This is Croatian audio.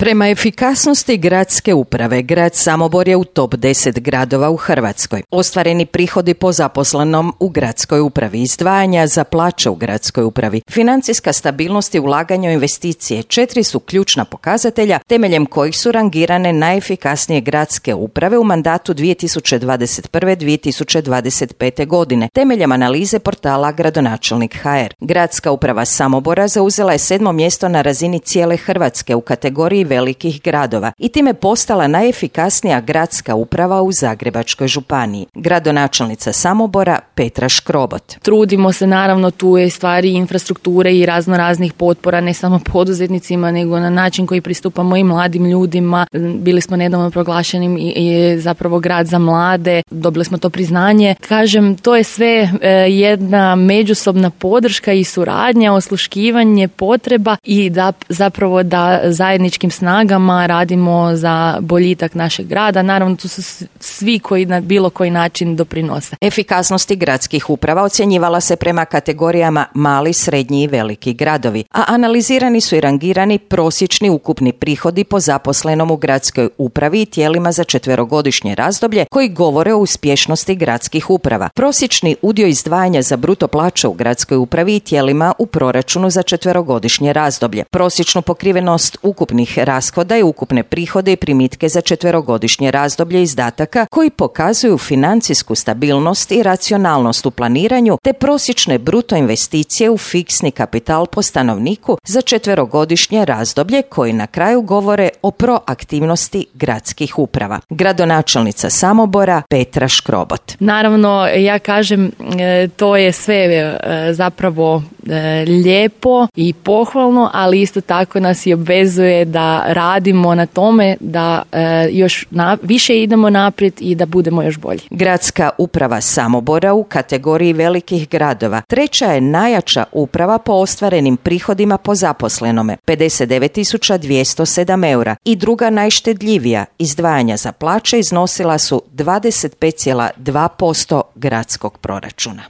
Prema efikasnosti gradske uprave, grad Samobor je u top 10 gradova u Hrvatskoj. Ostvareni prihodi po zaposlenom u gradskoj upravi, izdvajanja za plaće u gradskoj upravi, financijska stabilnost i ulaganje u investicije 4 su ključna pokazatelja temeljem kojih su rangirane najefikasnije gradske uprave u mandatu 2021-2025. godine, temeljem analize portala Gradonačelnik.hr. Gradska uprava Samobora zauzela je 7. mjesto na razini cijele Hrvatske u kategoriji velikih gradova i time postala najefikasnija gradska uprava u Zagrebačkoj županiji. Gradonačelnica Samobora Petra Škrobot. Trudimo se, naravno, tu je stvari infrastrukture i raznih potpora, ne samo poduzetnicima, nego na način koji pristupamo i mladim ljudima. Bili smo nedavno proglašeni i zapravo grad za mlade, dobili smo to priznanje. Kažem, to je sve jedna međusobna podrška i suradnja, osluškivanje potreba i da zapravo da zajedničkim snagama radimo za boljitak našeg grada. Naravno, tu su svi koji na bilo koji način doprinose. Efikasnosti gradskih uprava ocjenjivala se prema kategorijama mali, srednji i veliki gradovi, a analizirani su i rangirani prosječni ukupni prihodi po zaposlenom u gradskoj upravi i tijelima za 4-godišnje razdoblje koji govore o uspješnosti gradskih uprava. Prosječni udio izdvajanja za bruto plaće u gradskoj upravi i tijelima u proračunu za 4-godišnje razdoblje. Prosječnu pokrivenost ukupnih rashoda i ukupne prihode i primitke za 4-godišnje razdoblje izdataka koji pokazuju financijsku stabilnost i racionalnost u planiranju te prosječne bruto investicije u fiksni kapital po stanovniku za 4-godišnje razdoblje koji na kraju govore o proaktivnosti gradskih uprava. Gradonačelnica Samobora Petra Škrobot. Naravno, ja kažem, to je sve zapravo lijepo i pohvalno, ali isto tako nas i obvezuje da radimo na tome da još više idemo naprijed i da budemo još bolji. Gradska uprava Samobora u kategoriji velikih gradova treća je najjača uprava po ostvarenim prihodima po zaposlenome 59.207 eura i druga najštedljivija izdvajanja za plaće iznosila su 25,2% gradskog proračuna.